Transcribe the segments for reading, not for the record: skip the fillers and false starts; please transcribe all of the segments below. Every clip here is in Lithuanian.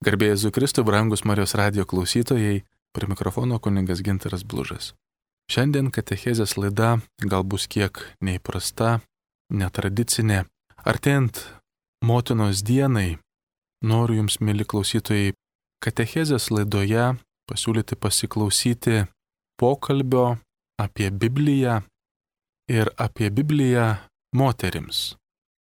Garbė Jėzui Kristui, brangus Marijos radijo klausytojai, prie mikrofono kunigas Gintaras Blužas. Šiandien katechezės laida gal bus kiek neįprasta, netradicinė. Artėjant motinos dienai, noriu jums, mėly klausytojai, katechezės laidoje pasiūlyti pasiklausyti pokalbio apie Bibliją ir apie Bibliją moterims.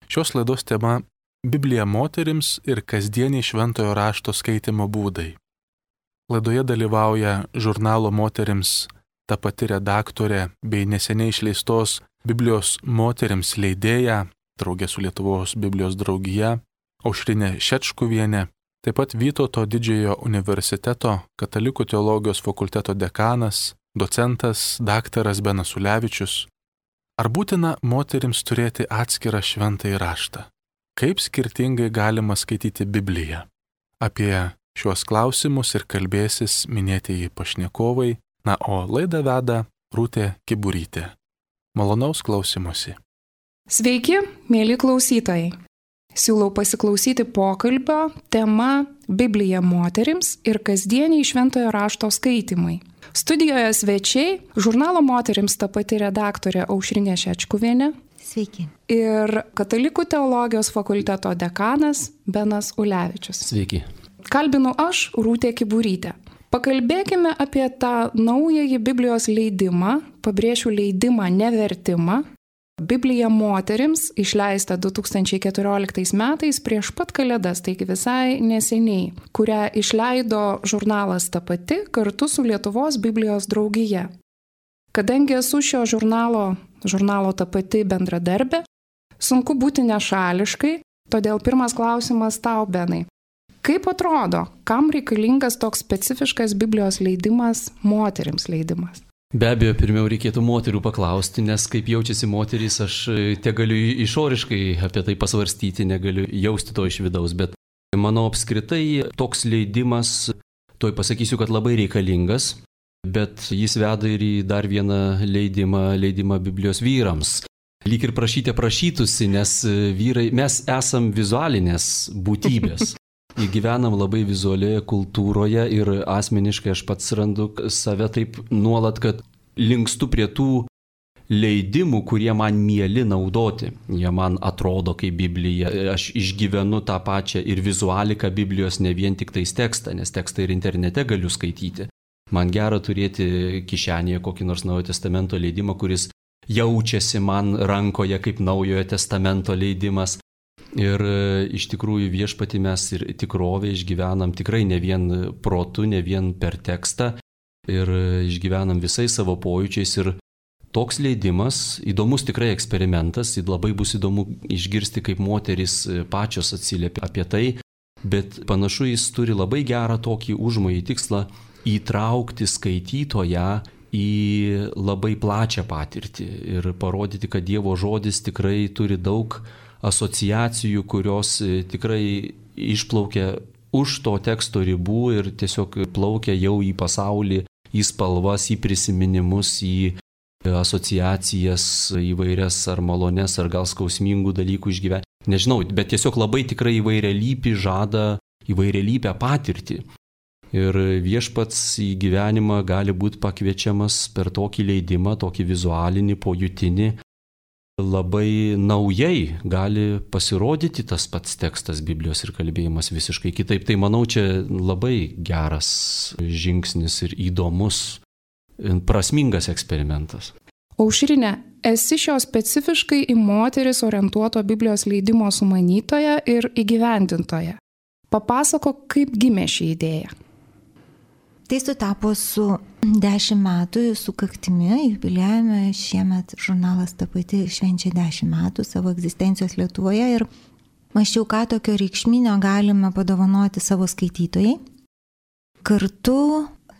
Šios laidos tema – Biblija moterims ir kasdieniai šventojo rašto skaitimo būdai. Laidoje dalyvauja žurnalo Moterims ta pati redaktorė bei neseniai išleistos Biblijos moterims leidėja, draugė su Lietuvos Biblijos draugija, Aušrinė Šečkuvienė, taip pat Vytauto Didžiojo universiteto Katalikų teologijos fakulteto dekanas, docentas daktaras Benas Ulevičius. Ar būtina moterims turėti atskirą šventąjį raštą? Kaip skirtingai galima skaityti Bibliją? Apie šiuos klausimus ir kalbėsis minėtieji pašnekovai, o laidą veda Rūtė Kiburytė. Malonaus klausymosi. Sveiki, mėly klausytojai. Siūlau pasiklausyti pokalbio tema Biblija moterims ir kasdieniai šventojo rašto skaitimai. Studijoje svečiai žurnalo Moterims ta pati redaktorė Aušrinė Šečkuvienė. Sveiki. Ir Katalikų teologijos fakulteto dekanas Benas Ulevičius. Sveiki. Kalbinu aš, Rūtė Kiburytė. Pakalbėkime apie tą naująjį Biblijos leidimą, pabrėšiu leidimą, nevertimą. Biblija moterims išleista 2014 metais prieš pat Kalėdas, taigi visai neseniai, kurią išleido žurnalas Ta pati kartu su Lietuvos Biblijos draugija. Kadangi esu šio žurnalo Ta pati bendradarbė, sunku būti nešališkai, todėl pirmas klausimas tau, Benai. Kaip atrodo, kam reikalingas toks specifiškas Biblijos leidimas, moterims leidimas? Be abejo, pirmiau reikėtų moterų paklausti, nes kaip jaučiasi moterys, aš tegaliu išoriškai apie tai pasvarstyti, negaliu jausti to iš vidaus, bet manau apskritai toks leidimas, toj pasakysiu, kad labai reikalingas. Bet jis veda ir į dar vieną leidimą Biblijos vyrams. Lyg ir prašytųsi, nes vyrai, mes esam vizualinės būtybės. Gyvenam labai vizualioje kultūroje ir asmeniškai aš pats randu save taip nuolat, kad linkstu prie tų leidimų, kurie man mieli naudoti. Jie man atrodo kaip Biblija. Aš išgyvenu tą pačią ir vizualiką Biblijos, ne vien tik tais tekstą, nes tekstą ir internete galiu skaityti. Man gera turėti kišenėje kokį nors Naujojo testamento leidimą, kuris jaučiasi man rankoje kaip Naujojo testamento leidimas. Ir iš tikrųjų viešpatį mes ir tikrovę išgyvenam tikrai ne vien protu, ne vien per tekstą. Ir išgyvenam visais savo pojūčiais. Ir toks leidimas, įdomus tikrai eksperimentas, labai bus įdomu išgirsti, kaip moterys pačios atsiliepia apie tai. Bet panašu, jis turi labai gerą tokį užmojį tikslą įtraukti skaitytoją į labai plačią patirtį ir parodyti, kad Dievo žodis tikrai turi daug asociacijų, kurios tikrai išplaukia už to teksto ribų ir tiesiog plaukia jau į pasaulį, į spalvas, į prisiminimus, į asociacijas įvairias ar malones, ar gal skausmingų dalykų išgyventi. Nežinau, bet tiesiog labai tikrai įvairialypį žada įvairialypę patirtį. Ir viešpats į gyvenimą gali būti pakviečiamas per tokį leidimą, tokį vizualinį, pojutinį. Labai naujai gali pasirodyti tas pats tekstas Biblijos ir kalbėjimas visiškai kitaip. Tai manau, čia labai geras žingsnis ir įdomus, prasmingas eksperimentas. Aušrinė, esi šio specifiškai į moteris orientuoto Biblijos leidimo sumanytoja ir įgyvendintoja. Papasakok, kaip gimė ši idėja. Tai sutapo su 10 metų sukaktimi, jubiliejumi. Šiemet žurnalas Ta pati švenčia 10 metų savo egzistencijos Lietuvoje ir mąsčiau, ką tokio reikšminio galime padovanoti savo skaitytojai. Kartu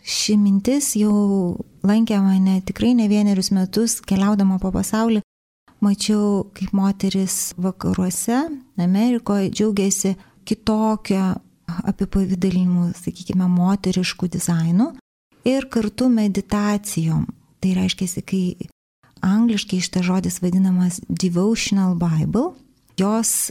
ši mintis jau lankė mane tikrai ne vienerius metus, keliaudama po pasaulį. Mačiau, kaip moteris vakaruose, Amerikoje džiaugiasi kitokią apipavidalinimu, sakykime, moteriškų dizainų ir kartu meditacijom. Tai reiškia, kai angliškai šitas žodis vadinamas devotional Bible, jos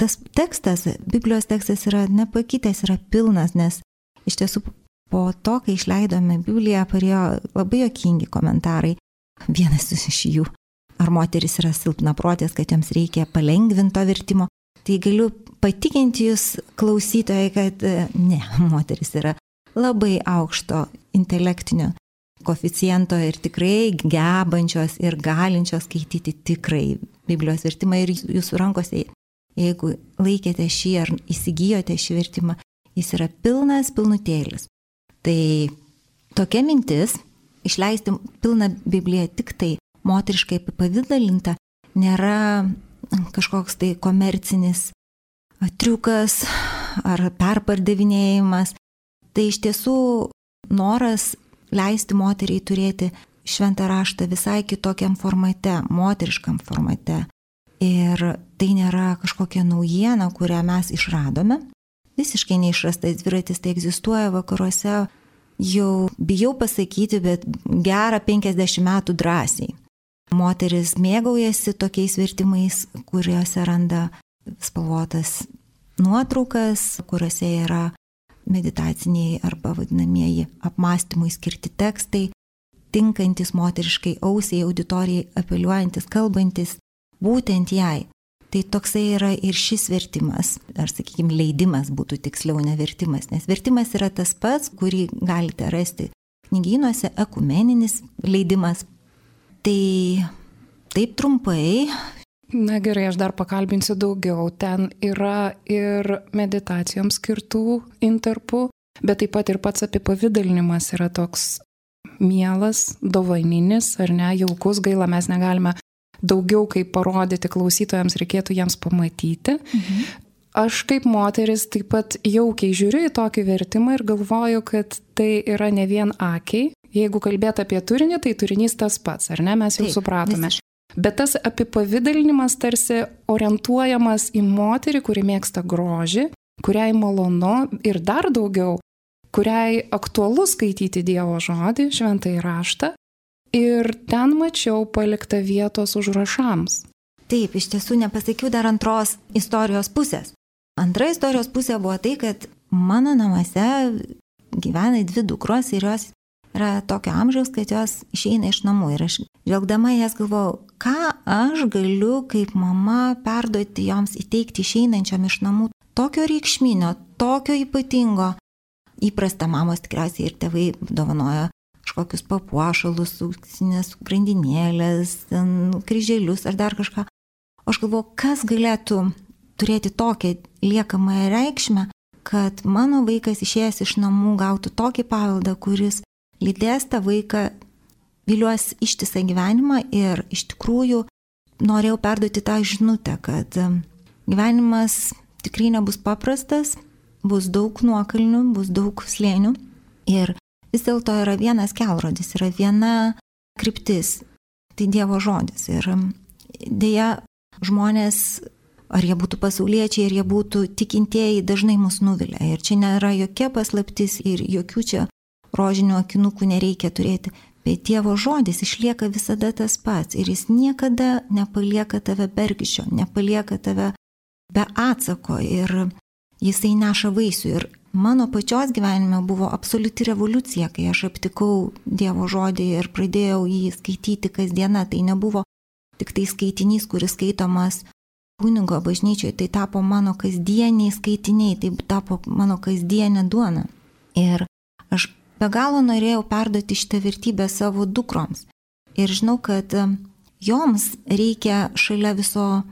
tas tekstas, Biblijos tekstas yra nepakitęs, yra pilnas, nes iš tiesų po to, kai išleidome Bibliją, parėjo labai juokingi komentarai. Vienas iš jų, ar moteris yra silpnaprotės, kad joms reikia palengvinto vertimo. Tai galiu patikinti jūs, klausytojai, kad ne, moteris yra labai aukšto intelektinio koeficiento ir tikrai gebančios ir galinčios skaityti tikrai Biblijos vertimą ir jūsų rankose, jeigu laikėte šį ar įsigijote šį vertimą, jis yra pilnutėlis. Tai tokia mintis, išleisti pilną Bibliją tik tai moteriškai apipavidalinta, nėra kažkoks tai komercinis triukas ar perpardavinėjimas. Tai iš tiesų noras leisti moteriai turėti šventą raštą visai kitokiam formate, moteriškam formate. Ir tai nėra kažkokia naujiena, kurią mes išradome. Visiškai neišrastas dviratis, tai egzistuoja vakaruose jau, bijau pasakyti, bet gerą 50 metų drąsiai. Moteris mėgaujasi tokiais vertimais, kuriuose randa spalvotas nuotraukas, kuriuose yra meditaciniai arba vadinamieji apmąstymui skirti tekstai, tinkantis moteriškai ausiai, auditorijai, apeliuojantis, kalbantis būtent jai. Tai toksai yra ir šis vertimas, ar sakykime leidimas būtų tiksliau, ne vertimas, nes vertimas yra tas pats, kurį galite rasti knygynuose, ekumeninis leidimas. Tai taip trumpai. Na gerai, aš dar pakalbinsiu daugiau. Ten yra ir meditacijoms skirtų intarpų, bet taip pat ir pats apipavidalinimas yra toks mielas, dovaninis, ar ne, jaukus, gaila, mes negalime daugiau kaip parodyti klausytojams, reikėtų jiems pamatyti. Aš kaip moteris taip pat jaukiai žiūriu į tokį vertimą ir galvoju, kad tai yra ne vien akiai. Jeigu kalbėt apie turinį, tai turinys tas pats, ar ne, mes jau supratome. Bet tas apipavidalinimas tarsi orientuojamas į moterį, kuri mėgsta grožį, kuriai malonu ir dar daugiau, kuriai aktualu skaityti Dievo žodį, šventąjį raštą. Ir ten mačiau paliktą vietos užrašams. Taip, iš tiesų nepasakiau dar antros istorijos pusės. Antra istorijos pusė buvo tai, kad mano namuose gyvena 2 dukros ir jos yra tokio amžiaus, kad jos išeina iš namų. Ir aš žvelgdama jas galvojau, ką aš galiu kaip mama perduoti joms, įteikti išeinančiam iš namų tokio reikšminio, tokio ypatingo. Įprasta mamos tikriausiai ir tėvai dovanoja kažkokius papuošalus, auksinės grandinėlės, kryželius ar dar kažką. O aš galvoju, kas galėtų turėti tokią liekamąją reikšmę, kad mano vaikas išėjęs iš namų gautų tokį paveldą, kuris lydės tą vaiką, viliuos ištisą gyvenimą ir iš tikrųjų norėjau perduoti tą žinutę, kad gyvenimas tikrai nebus paprastas, bus daug nuokalnių, bus daug slėnių ir vis dėlto yra vienas kelrodis, yra viena kryptis, tai Dievo žodis. Ir dėja žmonės, ar jie būtų pasauliečiai, ar jie būtų tikintieji, dažnai mus nuvilia. Ir čia nėra jokia paslaptis ir jokių čia rožinių akinukų nereikia turėti. Bet Dievo žodis išlieka visada tas pats ir jis niekada nepalieka tave bergždžio, nepalieka tave be atsako ir jisai neša vaisių. Ir mano pačios gyvenime buvo absoliuti revoliucija, kai aš aptikau Dievo žodį ir pradėjau jį skaityti kasdieną. Tai nebuvo tik tai skaitinys, kuris skaitomas kunigo bažnyčioje, tai tapo mano kasdieniai skaitiniai, tai tapo mano kasdienė duona. Ir aš be galo norėjau perduoti šitą vertybę savo dukroms. Ir žinau, kad joms reikia šalia viso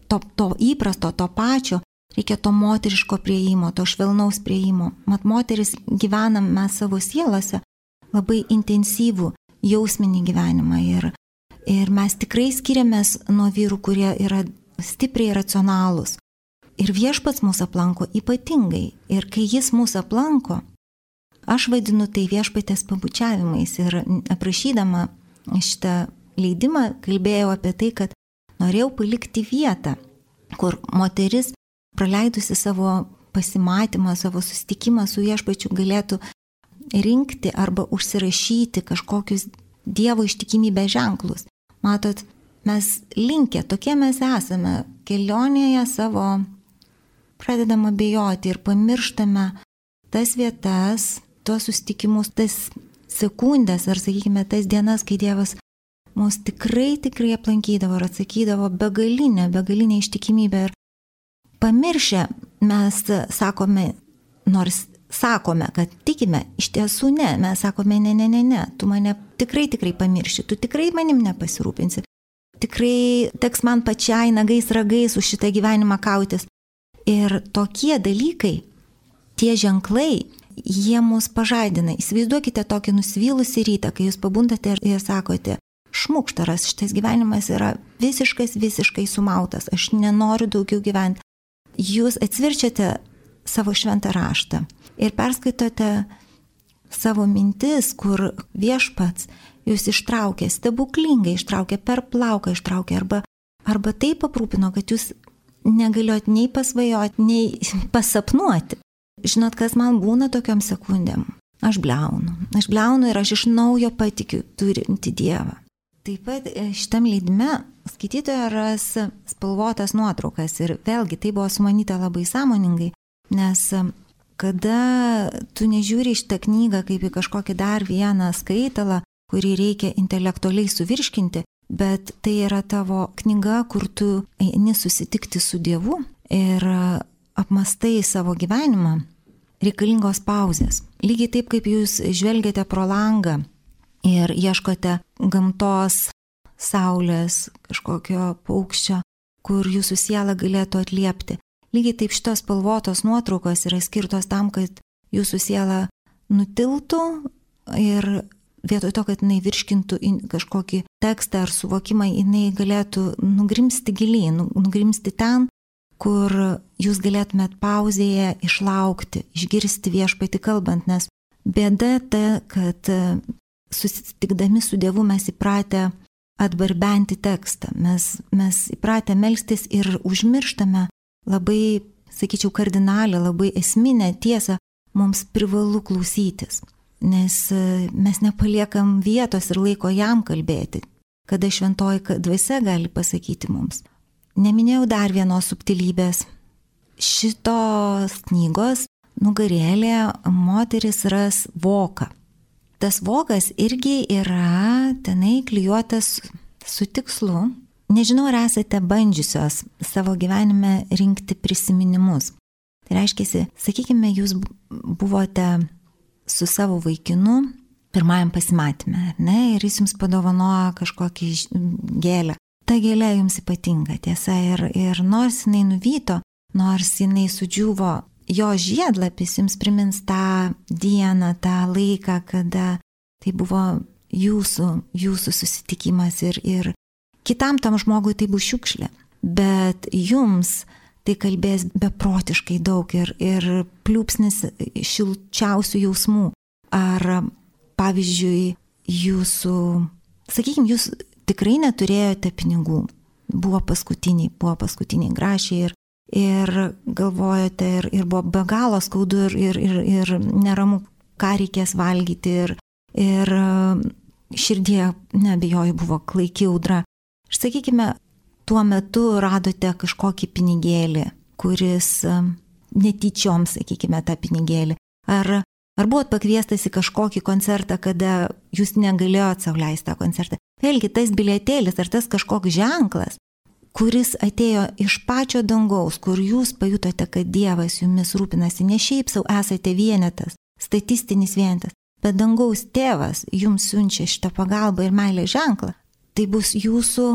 to įprasto, to pačio, reikia to moteriško prieimo, to švelnaus prieimo. Mat moteris gyvenam mes savo sielose labai intensyvų jausminį gyvenimą ir mes tikrai skiriamės nuo vyrų, kurie yra stipriai racionalūs. Ir viešpats mūsų aplanko ypatingai. Ir kai jis mūsų aplanko, aš vadinu tai viešpatės pabučiavimais. Ir aprašydama šitą leidimą kalbėjau apie tai, kad norėjau palikti vietą, kur moteris praleidusi savo pasimatymą, savo susitikimą su viešpačiu galėtų rinkti arba užsirašyti kažkokius Dievo ištikimybės ženklus. Matot, mes linkę, tokie mes esame kelionėje savo pradedam abejoti ir pamirštame tas vietas, tuos susitikimus, tas sekundės ar, sakykime, tas dienas, kai Dievas mus tikrai aplankydavo ir atsakydavo begalinę ištikimybę. Ir pamiršę mes sakome, nors sakome, kad tikime, iš tiesų ne, mes sakome ne, tu mane tikrai pamirši, tu tikrai manim nepasirūpinsi, tikrai teks man pačiai nagais ragais už šitą gyvenimą kautis. Ir tokie dalykai, tie ženklai, jie mus pažadina. Įsivaizduokite tokį nusivylusį rytą, kai jūs pabundate ir sakote, šmukštaras, šitas gyvenimas yra visiškai sumautas, aš nenoriu daugiau gyventi. Jūs atsverčiate savo šventą raštą ir perskaitote savo mintis, kur Viešpats jūs ištraukė, stebuklingai ištraukė, per plauką ištraukė, arba taip aprūpino, kad jūs negalėjot nei pasvajoti, nei pasapnuoti. Žinot, kas man būna tokiom sekundėm? Aš bliaunu ir aš iš naujo patikiu turinti Dievą. Taip pat šitam leidime skaitytoja ras spalvotas nuotraukas ir vėlgi tai buvo sumanyta labai sąmoningai, nes kada tu nežiūri šitą knygą kaip į kažkokį dar vieną skaitalą, kurį reikia intelektualiai suvirškinti, bet tai yra tavo knyga, kur tu eini susitikti su Dievu ir apmastai savo gyvenimą, reikalingos pauzės. Lygiai taip, kaip jūs žvelgiate pro langą ir ieškote gamtos, saulės, kažkokio paukščio, kur jūsų siela galėtų atliepti. Lygiai taip šitos spalvotos nuotraukos yra skirtos tam, kad jūsų siela nutiltų ir vietoj to, kad jinai virškintų kažkokį tekstą ar suvokimą, jinai galėtų nugrimsti gilyn, nugrimsti ten, kur jūs galėtumėt pauzėje išlaukti, išgirsti Viešpatį kalbant, nes bėda ta, kad susitikdami su Dievu mes įpratę atbarbenti tekstą, mes įpratę melstis ir užmirštame labai, sakyčiau, kardinalią, labai esminę tiesą, mums privalu klausytis, nes mes nepaliekam vietos ir laiko jam kalbėti, kada šventoji dvasia gali pasakyti mums. Neminėjau dar vienos subtilybės. Šitos knygos nugarėlė moteris ras voką. Tas vokas irgi yra tenai klijuotas su tikslu. Nežinau, ar esate bandžiusios savo gyvenime rinkti prisiminimus. Tai reiškia, sakykime, jūs buvote su savo vaikinu pirmajam pasimatyme, ne, ir jis jums padovanojo kažkokį gėlę. Ta gėlė jums ypatinga, tiesa, ir nors jinai nuvyto, nors jinai sudžiuvo, jo žiedlapis jums primins tą dieną, tą laiką, kada tai buvo jūsų susitikimas ir kitam tam žmogui tai bus šiukšlė. Bet jums tai kalbės beprotiškai daug ir pliūpsnis šilčiausių jausmų. Ar, pavyzdžiui, sakykime, jūs tikrai neturėjote pinigų, buvo paskutiniai grašiai ir galvojote ir buvo be galo skaudu ir neramu, ką reikės valgyti ir širdie, neabejoju, buvo klaiki audra. Ir sakykime, tuo metu radote kažkokį pinigėlį, kuris netyčiom, sakykime, tą pinigėlį. Ar buvot pakviestas į kažkokį koncertą, kada jūs negalėjot sau leisti tą koncertą? Vėlgi, tas bilietėlis ar tas kažkoks ženklas, kuris atėjo iš pačio dangaus, kur jūs pajutote, kad Dievas jumis rūpinasi, ne šiaip savo esate vienetas, statistinis vienetas, bet dangaus tėvas jums siunčia šitą pagalbą ir meilės ženklą, tai bus jūsų,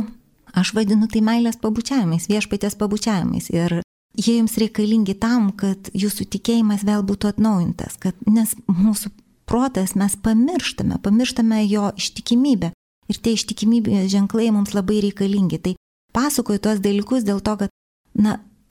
aš vadinu tai meilės pabučiavimais, Viešpaties pabučiavimais. Ir jie jums reikalingi tam, kad jūsų tikėjimas vėl būtų atnaujintas, nes mūsų protas mes pamirštame jo ištikimybę. Ir tie ištikimybės ženklai mums labai reikalingi. Tai pasakoju tuos dalykus dėl to, kad,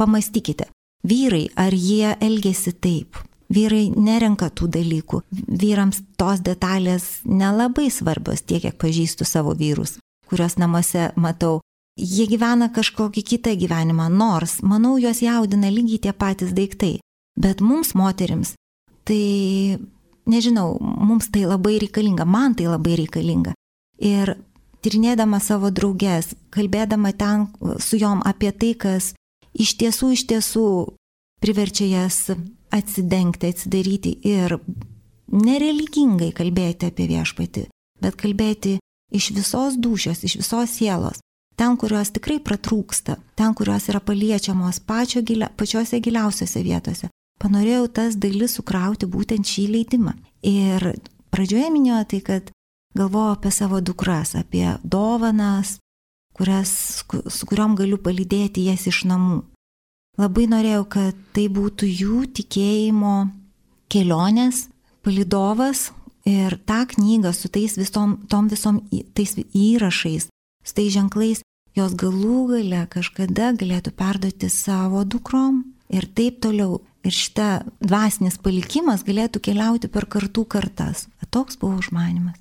pamastykite, vyrai, ar jie elgėsi taip? Vyrai nerenka tų dalykų. Vyrams tos detalės nelabai svarbios, tiek, kiek pažįstu savo vyrus, kuriuos namuose matau. Jie gyvena kažkokį kitą gyvenimą, nors, manau, juos jaudina lygiai tie patys daiktai. Bet mums, moterims, tai, nežinau, mums tai labai reikalinga, man tai labai reikalinga. Ir tyrinėdama savo drauges, kalbėdama ten su jom apie tai, kas iš tiesų priverčia jas atsidengti, atsidaryti ir nereligingai kalbėti apie viešpatį, bet kalbėti iš visos dūšios, iš visos sielos. Ten, kurios tikrai pratrūksta, ten, kurios yra paliečiamos pačiose giliausiose vietose. Panorėjau tas dalis sukrauti būtent šį leidimą. Ir pradžioje minėjau tai, kad galvojau apie savo dukras, apie dovanas, su kuriom galiu palydėti jas iš namų. Labai norėjau, kad tai būtų jų tikėjimo kelionės palydovas ir tą knygą su tais visom tais įrašais, su tais ženklais, jos galų gale kažkada galėtų perduoti savo dukrom ir taip toliau. Ir šita dvasinis palikimas galėtų keliauti per kartų kartas. Toks buvo užmanymas.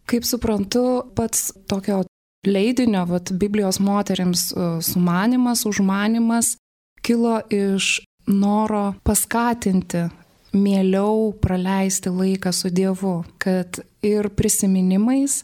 Kaip suprantu, pats tokio leidinio, Biblijos moterims sumanymas, užmanymas kilo iš noro paskatinti mieliau praleisti laiką su Dievu, kad ir prisiminimais,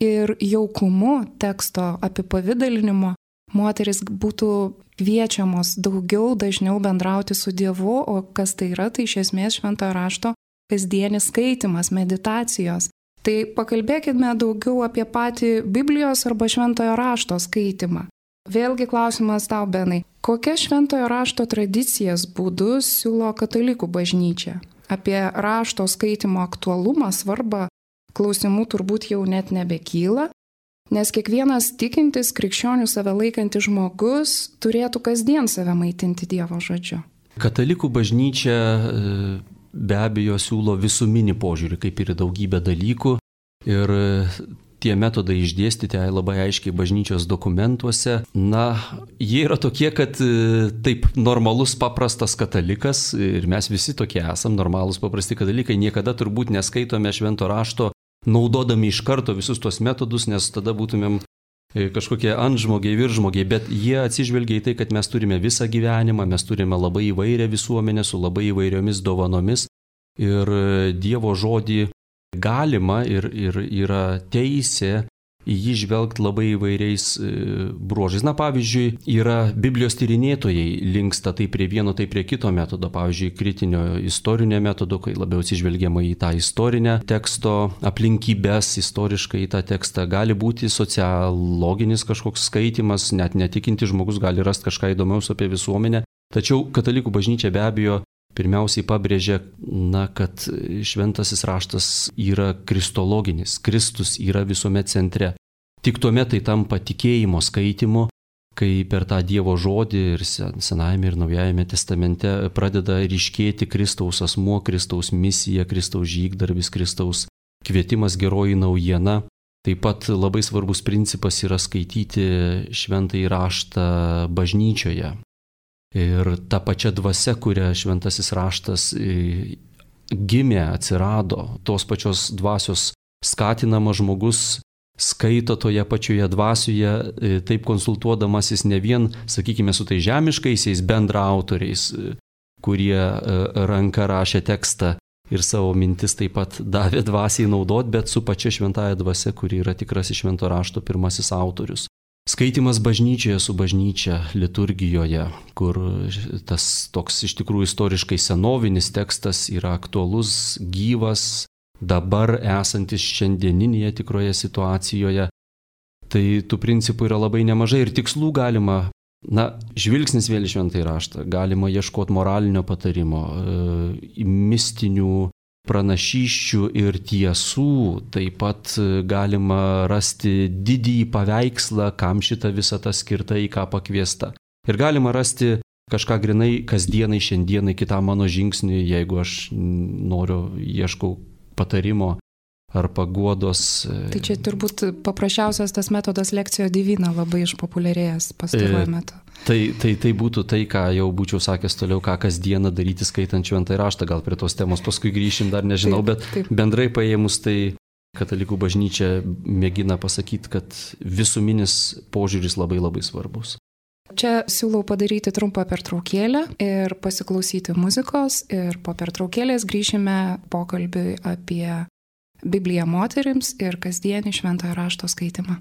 ir jaukumu teksto apipavidalinimo moteris būtų kviečiamos daugiau, dažniau bendrauti su Dievu, o kas tai yra, tai iš esmės šventojo rašto kasdienis skaitimas, meditacijos. Tai pakalbėkime daugiau apie patį Biblijos arba šventojo rašto skaitimą. Vėlgi klausimas tau, Benai, kokias šventojo rašto tradicijas būdus siūlo katalikų bažnyčia? Apie rašto skaitimo aktualumą, svarbą klausimų turbūt jau net nebekyla, nes kiekvienas tikintis, krikščionių save laikantis žmogus turėtų kasdien save maitinti Dievo žodžiu. Katalikų bažnyčia be abejo siūlo visuminį požiūrį, kaip ir daugybę dalykų. Ir tie metodai išdėstyti labai aiškiai bažnyčios dokumentuose. Jie yra tokie, kad taip normalus, paprastas katalikas, ir mes visi tokie esam, normalus, paprasti katalikai, niekada turbūt neskaitome švento rašto naudodami iš karto visus tos metodus, nes tada būtumėm kažkokie antžmogiai, viržmogiai, bet jie atsižvelgia į tai, kad mes turime visą gyvenimą, mes turime labai įvairią visuomenę su labai įvairiomis dovanomis ir Dievo žodį galima ir yra teisė į jį žvelgti labai įvairiais bruožais. Pavyzdžiui, yra Biblijos tyrinėtojai linksta tai prie vieno, tai prie kito metodo. Pavyzdžiui, kritinio istorinio metodo, kai labiau atsižvelgiama į tą istorinę teksto aplinkybės, istoriškai į tą tekstą. Gali būti sociologinis kažkoks skaitimas, net netikinti žmogus gali rasti kažką įdomiaus apie visuomenę. Tačiau katalikų bažnyčia be abejo pirmiausiai pabrėžia, kad šventasis raštas yra kristologinis, Kristus yra visuomet centre. Tik tuomet tai tampa tikėjimo skaitimu, kai per tą Dievo žodį ir Senajame ir Naujajame testamente pradeda ryškėti Kristaus asmuo, Kristaus misija, Kristaus žygdarbis, Kristaus kvietimas, geroji naujiena. Taip pat labai svarbus principas yra skaityti šventąjį raštą bažnyčioje. Ir ta pačia dvasia, kuria šventasis raštas gimė, atsirado, tos pačios dvasios skatinamas žmogus skaito toje pačioje dvasioje, taip konsultuodamasis ne vien, sakykime, su tai žemiškaisiais bendraautoriais, kurie ranka rašė tekstą ir savo mintis taip pat davė dvasiai naudot, bet su pačia šventąja dvasia, kuri yra tikrasis švento rašto pirmasis autorius. Skaitimas bažnyčioje su bažnyčia liturgijoje, kur tas toks iš tikrųjų istoriškai senovinis tekstas yra aktualus, gyvas, dabar esantis šiandieninėje tikroje situacijoje. Tai tų principų yra labai nemažai ir tikslų galima, žvilgsnis vėl į šventąjį raštą, galima ieškoti moralinio patarimo, mistinių pranašysčių ir tiesų, taip pat galima rasti didįjį paveikslą, kam šita visata skirta, į ką pakviesta. Ir galima rasti kažką grinai kasdienai, šiandienai, kitam mano žingsniui, jeigu aš ieškau patarimo ar paguodos. Tai čia turbūt paprasčiausias tas metodas lekcijo divina labai išpopuliarėjęs pastaruoju metu. Tai būtų tai, ką jau būčiau sakęs toliau, ką kasdieną daryti skaitant šventąjį raštą, gal prie tos temos paskui grįšim, dar nežinau, bet bendrai paėmus tai katalikų bažnyčia mėgina pasakyti, kad visuminis požiūris labai labai svarbus. Čia siūlau padaryti trumpą pertraukėlę ir pasiklausyti muzikos ir po pertraukėlės grįšime pokalbiui apie Bibliją moterims ir kasdienį šventojo rašto skaitimą.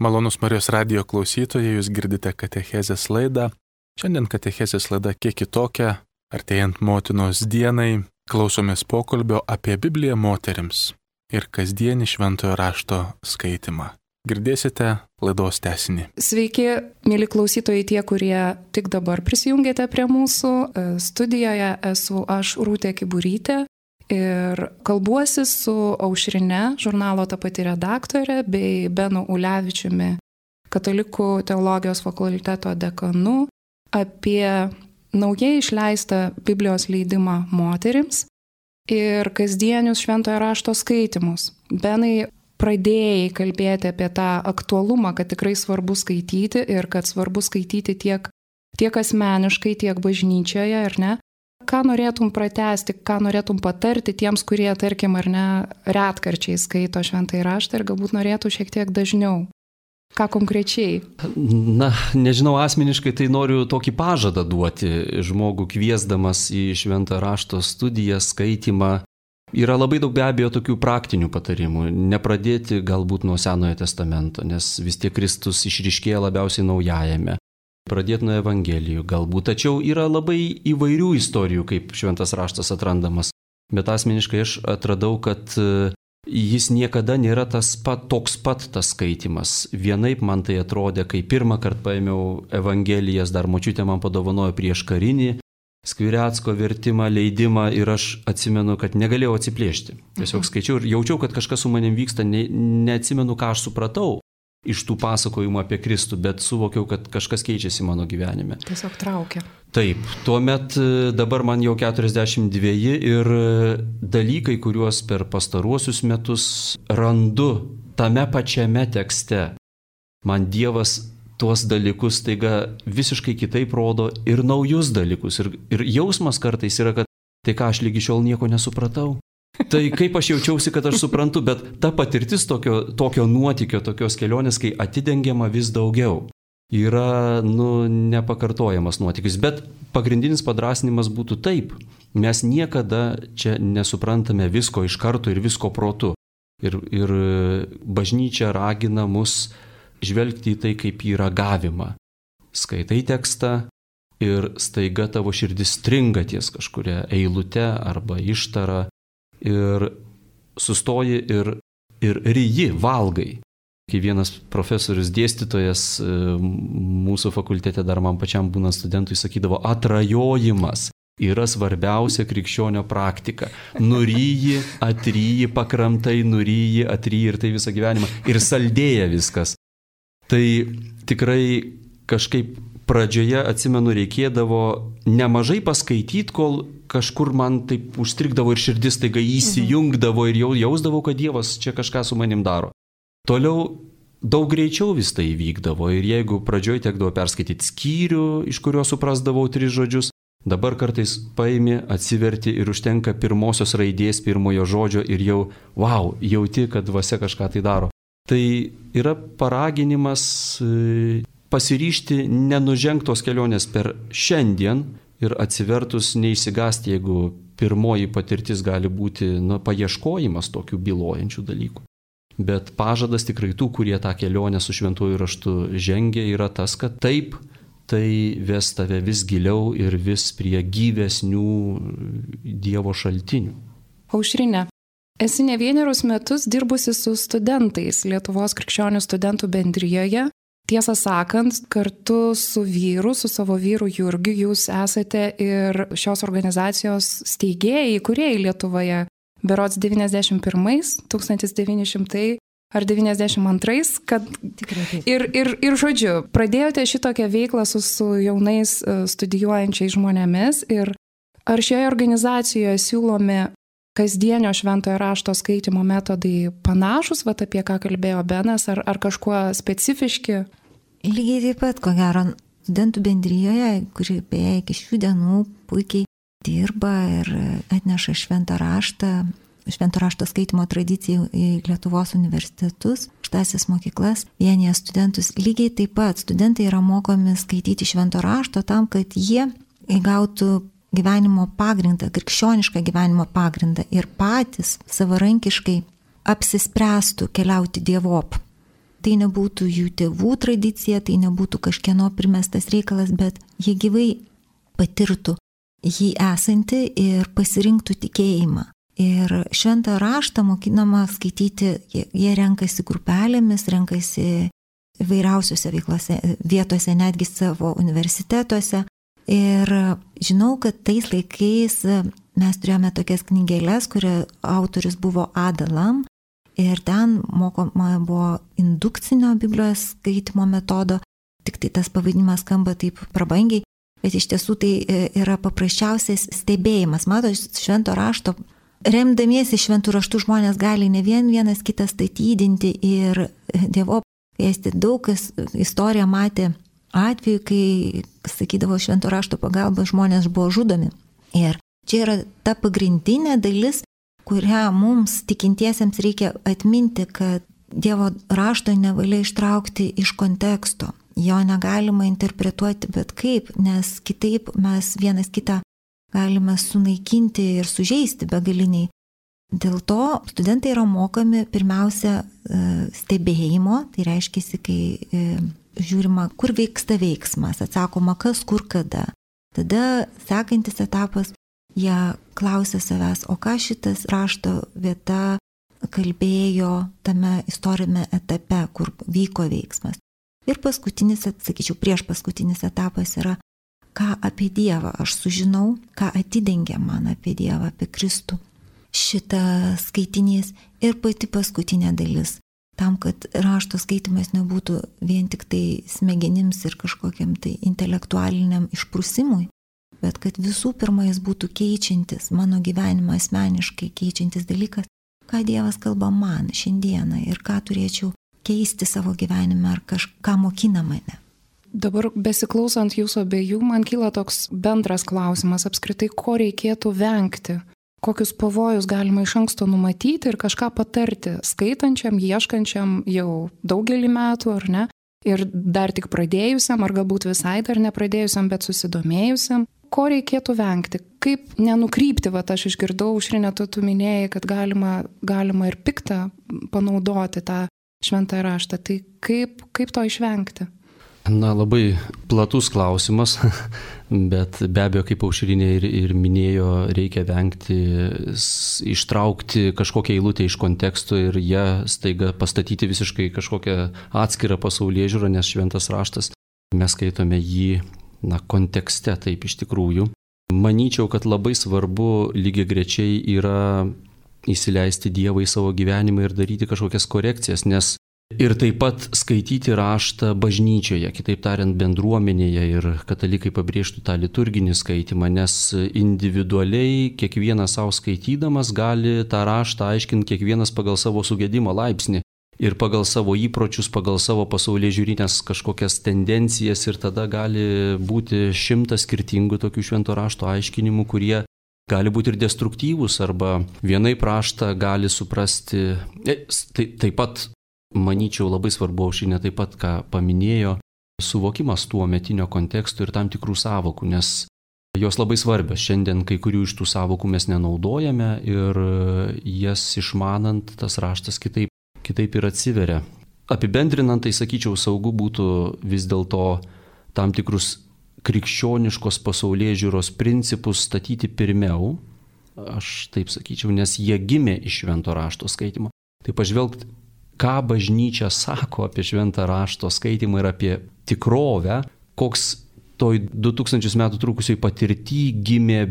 Malonus Marijos radijo klausytojai, jūs girdite katechezės laidą. Šiandien katechezės laida kiek kitokia, artėjant motinos dienai, klausomės pokalbio apie Bibliją moterims ir kasdienį šventojo rašto skaitimą. Girdėsite laidos tęsinį. Sveiki, mėly klausytojai, tie, kurie tik dabar prisijungėte prie mūsų. Studijoje esu aš, Rūtė Kiburytė. Ir kalbuosi su Aušrine, žurnalo Ta pati redaktorė, bei Benu Ulevičiumi, Katalikų teologijos fakulteto dekanu, apie naujai išleistą Biblijos leidimą moterims ir kasdienius šventojo rašto skaitimus. Benai, pradėjai kalbėti apie tą aktualumą, kad tikrai svarbu skaityti ir kad svarbu skaityti tiek asmeniškai, tiek bažnyčioje, ar ne? Ką norėtum pratęsti, ką norėtum patarti tiems, kurie, tarkim, ar ne, retkarčiai skaito šventąjį raštą ir galbūt norėtų šiek tiek dažniau? Ką konkrečiai? Na, nežinau, asmeniškai tai noriu tokį pažadą duoti žmogų kviesdamas į šventą rašto studiją, skaitimą. Yra labai daug be abejo tokių praktinių patarimų. Nepradėti galbūt nuo Senojo testamento, nes vis tiek Kristus išryškėja labiausiai Naujajame. Pradėti nuo Evangelijų galbūt, tačiau yra labai įvairių istorijų, kaip šventas raštas atrandamas. Bet asmeniškai aš atradau, kad jis niekada nėra toks pat tas skaitimas. Vienaip man tai atrodė, kai pirmą kartą paėmiau Evangelijas, dar močiutė man padovanojo prieš karinį Skvirecko vertimą, leidimą ir aš atsimenu, kad negalėjau atsiplėšti. Tiesiog skaičiau ir jaučiau, kad kažkas su manim vyksta, neatsimenu, ką aš supratau iš tų pasakojimų apie Kristų, bet suvokiau, kad kažkas keičiasi mano gyvenime. Tiesiog traukia. Taip, tuomet dabar man jau 42 ir dalykai, kuriuos per pastaruosius metus randu tame pačiame tekste, man Dievas tuos dalykus taiga visiškai kitaip rodo ir naujus dalykus. Ir jausmas kartais yra, kad tai ką aš lygi šiol nieko nesupratau. Tai kaip aš jaučiausi, kad aš suprantu, bet ta patirtis tokio nuotykio, tokios kelionės, kai atidengiama vis daugiau, yra, nepakartojamas nuotykis. Bet pagrindinis padrasinimas būtų taip. Mes niekada čia nesuprantame visko iš karto ir visko protu. Ir bažnyčia ragina mus žvelgti į tai kaip į ragavimą. Skaitai tekstą ir staiga tavo širdis stringa ties kažkuria eilute arba ištara. Ir sustoji ir ryji, valgai. Kai vienas profesorius dėstytojas mūsų fakultete dar man pačiam būnant studentui sakydavo, atrajojimas yra svarbiausia krikščionio praktika. Nuryji, atryji, pakramtai, nuryji, atryji ir tai visą gyvenimą. Ir saldėja viskas. Tai tikrai kažkaip pradžioje, atsimenu, reikėdavo nemažai paskaityti, kol kažkur man taip užstrigdavo ir širdis taiga įsijungdavo ir jau jausdavau, kad Dievas čia kažką su manim daro. Toliau daug greičiau vis tai įvykdavo ir jeigu pradžioje tekdavo perskaityti skyrių, iš kurio suprasdavau 3 žodžius, dabar kartais paimi, atsiverti ir užtenka pirmosios raidės, pirmojo žodžio ir jau, jauti, kad dvasia kažką tai daro. Tai yra paraginimas pasiryžti nenužengtos kelionės per šiandien ir atsivertus neišsigąsti, jeigu pirmoji patirtis gali būti paieškojimas tokių bylojančių dalykų. Bet pažadas tikrai tų, kurie tą kelionę su šventuoju raštu žengia, yra tas, kad taip, tai ves tave vis giliau ir vis prie gyvesnių Dievo šaltinių. Aušrine, esi ne vienerius metus dirbusi su studentais Lietuvos krikščionių studentų bendrijoje. Tiesą sakant, kartu su savo vyru Jurgiu, jūs esate ir šios organizacijos steigėjai, įkūrėjai Lietuvoje. Berods 1991 ar 92, kad... Tikrai taip. Ir žodžiu, pradėjote šitokią veiklą su jaunais studijuojančiais žmonėmis ir ar šioje organizacijoje siūlomi kasdienio šventojo rašto skaitimo metodai panašus, apie ką kalbėjo Benas, ar kažkuo specifiški? Lygiai taip pat, ko gero, studentų bendrijoje, kuri beje iki šių dienų puikiai dirba ir atneša šventą rašto skaitimo tradiciją į Lietuvos universitetus, aukštąsias mokyklas, vienyje studentus. Lygiai taip pat studentai yra mokomi skaityti švento rašto tam, kad jie įgautų gyvenimo pagrindą, krikščionišką gyvenimo pagrindą ir patys savarankiškai apsispręstų keliauti dievop. Tai nebūtų jų tėvų tradicija, tai nebūtų kažkieno primestas reikalas, bet jie gyvai patirtų jį esantį ir pasirinktų tikėjimą. Ir šventą raštą mokinama skaityti, jie renkasi grupelėmis, renkasi įvairiausiose veiklose, vietose, netgi savo universitetuose. Ir žinau, kad tais laikais mes turėjome tokias knygelės, kurio autorius buvo Ada Lam, ir ten mokoma buvo indukcinio Biblijos skaitimo metodo, tik tai tas pavadinimas skamba taip prabangiai, bet iš tiesų tai yra paprasčiausias stebėjimas. Matot, švento rašto, remdamiesi šventų raštų žmonės gali ne vienas kitą statydinti ir Dievo kviesti. Daug kas istoriją matė atveju, kai, sakydavo, švento rašto pagalba žmonės buvo žudomi. Ir čia yra ta pagrindinė dalis, kurią mums tikintiesiems reikia atminti, kad Dievo rašto nevalia ištraukti iš konteksto. Jo negalima interpretuoti bet kaip, nes kitaip mes vienas kitą galime sunaikinti ir sužeisti begaliniai. Dėl to studentai yra mokomi pirmiausia stebėjimo, tai reiškia, kai žiūrima, kur vyksta veiksmas, atsakoma, kas, kur, kada. Tada sekantis etapas, jie klausia savęs, o ką šitas rašto vieta kalbėjo tame istorinėme etape, kur vyko veiksmas. Ir paskutinis, sakyčiau, prieš paskutinis etapas yra, ką apie Dievą aš sužinau, ką atidengia man apie Dievą, apie Kristų. Šitas skaitinys ir pati paskutinė dalis. Tam, kad rašto skaitimas nebūtų vien tik tai smegenims ir kažkokiam tai intelektualiniam išprusimui, bet kad visų pirma jis būtų keičiantis, mano gyvenimą asmeniškai keičiantis dalykas, ką Dievas kalba man šiandieną ir ką turėčiau keisti savo gyvenime ar kažką mokina mane. Dabar besiklausant jūsų abiejų, man kyla toks bendras klausimas apskritai, ko reikėtų vengti. Kokius pavojus galima iš anksto numatyti ir kažką patarti skaitančiam, ieškančiam jau daugelį metų, ar ne? Ir dar tik pradėjusiam, ar galbūt visai dar nepradėjusiam, bet susidomėjusiam. Ko reikėtų vengti? Kaip nenukrypti? Aš išgirdau, Aušrine, tu minėjai, kad galima ir piktą panaudoti tą šventąjį raštą. Tai kaip to išvengti? Na, labai platus klausimas, bet be abejo, kaip Aušrinė ir minėjo, reikia vengti ištraukti kažkokią eilutę iš konteksto ir ją staiga pastatyti visiškai kažkokią atskirą pasaulėžiūrą, nes šventas raštas, mes skaitome jį kontekste, taip iš tikrųjų. Manyčiau, kad labai svarbu lygiagrečiai yra įsileisti Dievą į savo gyvenimą ir daryti kažkokias korekcijas, nes ir taip pat skaityti raštą bažnyčioje, kitaip tariant bendruomenėje, ir katalikai pabrėžtų tą liturginį skaitimą, nes individualiai kiekvienas savo skaitydamas gali tą raštą aiškinti kiekvienas pagal savo sugedimo laipsnį ir pagal savo įpročius, pagal savo pasaulėžiūrinės kažkokias tendencijas, ir tada gali būti 100 skirtingų tokių švento rašto aiškinimų, kurie gali būti ir destruktyvūs, arba vienaip raštą gali suprasti. Taip pat manyčiau, labai svarbu, Aušrinė taip pat, ką paminėjo, suvokimas tuo metinio konteksto ir tam tikrų sąvokų, nes jos labai svarbios. Šiandien kai kurių iš tų sąvokų mes nenaudojame ir jas išmanant tas raštas kitaip ir atsiveria. Apibendrinant, tai sakyčiau, saugu būtų vis dėlto tam tikrus krikščioniškos pasaulėžiūros principus statyti pirmiau, aš taip sakyčiau, nes jie gimė iš švento rašto skaitimo. Tai pažvelgti, ką bažnyčia sako apie šventą rašto skaitimą ir apie tikrovę, koks toj 2000 metų trukusioj patirty gimė,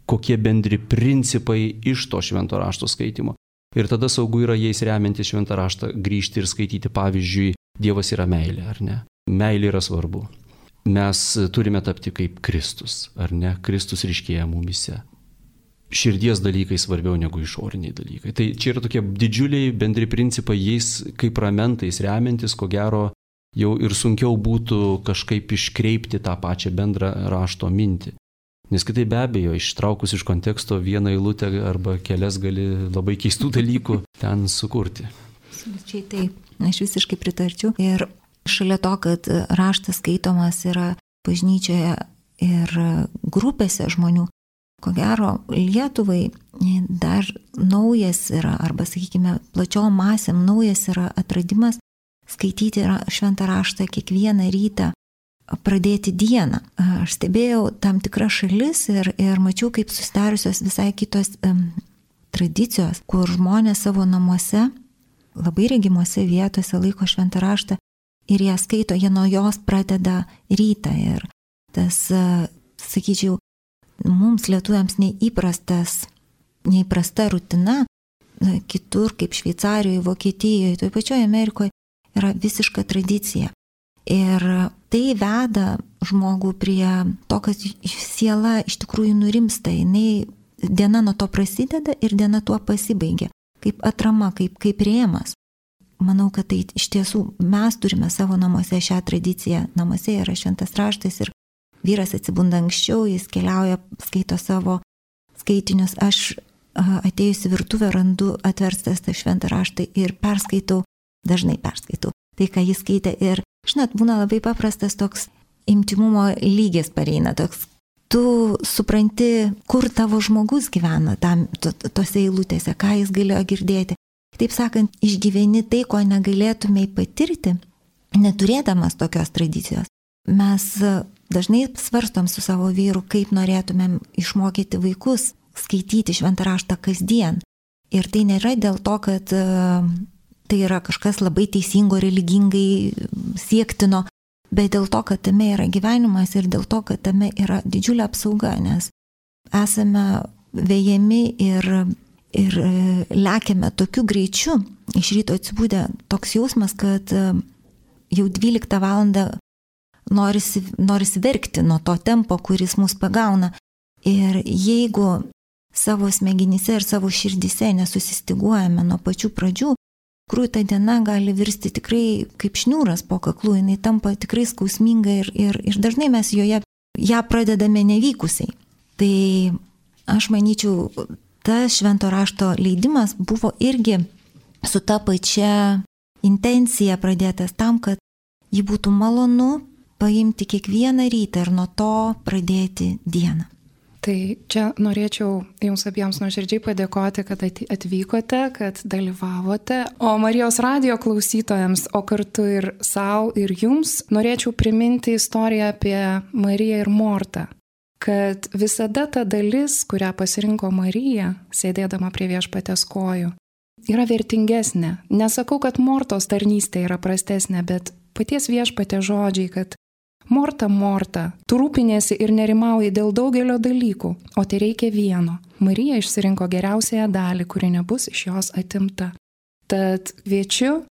kokie bendri principai iš to švento rašto skaitimo. Ir tada saugu yra jais remiantis šventą raštą grįžti ir skaityti, pavyzdžiui, Dievas yra meilė, ar ne? Meilė yra svarbu. Mes turime tapti kaip Kristus, ar ne? Kristus ryškėja mumyse. Širdies dalykai svarbiau negu išoriniai dalykai. Tai čia yra tokie didžiuliai bendri principai, jais kaip ramentais remiantis, ko gero, jau ir sunkiau būtų kažkaip iškreipti tą pačią bendrą rašto mintį. Nes kitai be abejo, ištraukus iš konteksto vieną eilutę arba kelias gali labai keistų dalykų ten sukurti. Absoliučiai taip, aš visiškai pritarčiau. Ir šalia to, kad raštas skaitomas yra bažnyčioje ir grupėse žmonių, ko gero Lietuvai dar naujas yra, arba sakykime, plačiom masėm naujas yra atradimas skaityti šventą raštą kiekvieną rytą, pradėti dieną. Aš stebėjau tam tikras šalis ir mačiau, kaip susidariusios visai kitos tradicijos, kur žmonės savo namuose, labai regimuose vietose laiko šventą raštą ir jie skaito, jie nuo jos pradeda rytą. Ir tas, sakyčiau, mums lietuviams neįprasta rutina, kitur kaip Šveicarijoje, Vokietijoje, toje pačioje Amerikoje yra visiška tradicija. Ir tai veda žmogų prie to, kad siela iš tikrųjų nurimsta, diena nuo to prasideda ir diena tuo pasibaigia, kaip atrama, kaip rėmas. Manau, kad tai iš tiesų mes turime savo namuose šią tradiciją. Namuose yra šventas raštas ir vyras atsibunda anksčiau, jis keliauja, skaito savo skaitinius. Aš atėjusi virtuvę randu atverstas tą šventą raštą ir dažnai perskaitau tai, ką jis skaitė. Ir žinot, būna labai paprastas toks intimumo lygis pareina, toks tu supranti, kur tavo žmogus gyvena tose eilutėse, ką jis galėjo girdėti. Taip sakant, išgyveni tai, ko negalėtumei patirti, neturėdamas tokios tradicijos. Mes dažnai svarstom su savo vyru, kaip norėtumėm išmokyti vaikus skaityti šventą raštą kasdien. Ir tai nėra dėl to, kad tai yra kažkas labai teisingo, religingai siektino, bet dėl to, kad tame yra gyvenimas ir dėl to, kad tame yra didžiulė apsauga, nes esame vejami ir lekiame tokiu greičiu, iš ryto atsibudę toks jausmas, kad jau 12 valandą norisi verkti nuo to tempo, kuris mus pagauna. Ir jeigu savo smegenyse ir savo širdise nesusistiguojame nuo pačių pradžių, ta diena gali virsti tikrai kaip šniūras po kaklu, jinai tampa tikrai skausminga ir dažnai mes ją pradedame nevykusiai. Tai aš manyčiau, tas švento rašto leidimas buvo irgi su ta pačia intencija pradėtas tam, kad jį būtų malonu paimti kiekvieną rytą ir nuo to pradėti dieną. Tai čia norėčiau jums abiems nuoširdžiai padėkoti, kad atvykote, kad dalyvavote. O Marijos radijo klausytojams, o kartu ir savo ir jums, norėčiau priminti istoriją apie Mariją ir Mortą. Kad visada ta dalis, kurią pasirinko Marija, sėdėdama prie Viešpaties kojų, yra vertingesnė. Nesakau, kad Mortos tarnystė yra prastesnė, bet paties Viešpatės žodžiai, kad Morta, Morta, tu rūpinėsi ir nerimauji dėl daugelio dalykų, o tai reikia vieno. Marija išsirinko geriausiąją dalį, kuri nebus iš jos atimta. Tad kviečiu,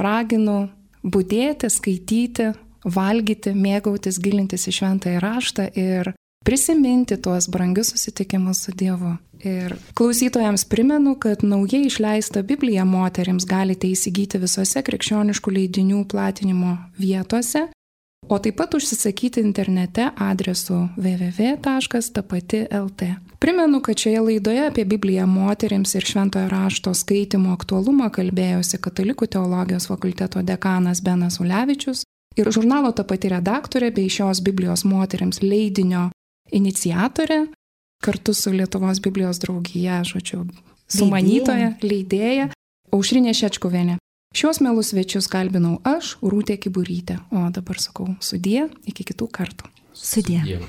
raginu budėti, skaityti, valgyti, mėgautis, gilintis į šventąjį raštą ir prisiminti tuos brangius susitikimus su Dievu. Ir klausytojams primenu, kad naujai išleistą Bibliją moterims galite įsigyti visose krikščioniškų leidinių platinimo vietose, o taip pat užsisakyti internete adresu www.tapati.lt. Primenu, kad šioje laidoje apie Bibliją moterims ir šventojo rašto skaitimo aktualumą kalbėjosi Katalikų teologijos fakulteto dekanas Benas Ulevičius ir žurnalo Tapati redaktorė bei šios Biblijos moterims leidinio iniciatorė, kartu su Lietuvos Biblijos draugija, sumanytoja, leidėja, Aušrinė Šečkuvienė. Šios mielus svečius kalbinau aš, Rūtė Kiburytė, o dabar sakau sudie, iki kitų kartų. Sudie.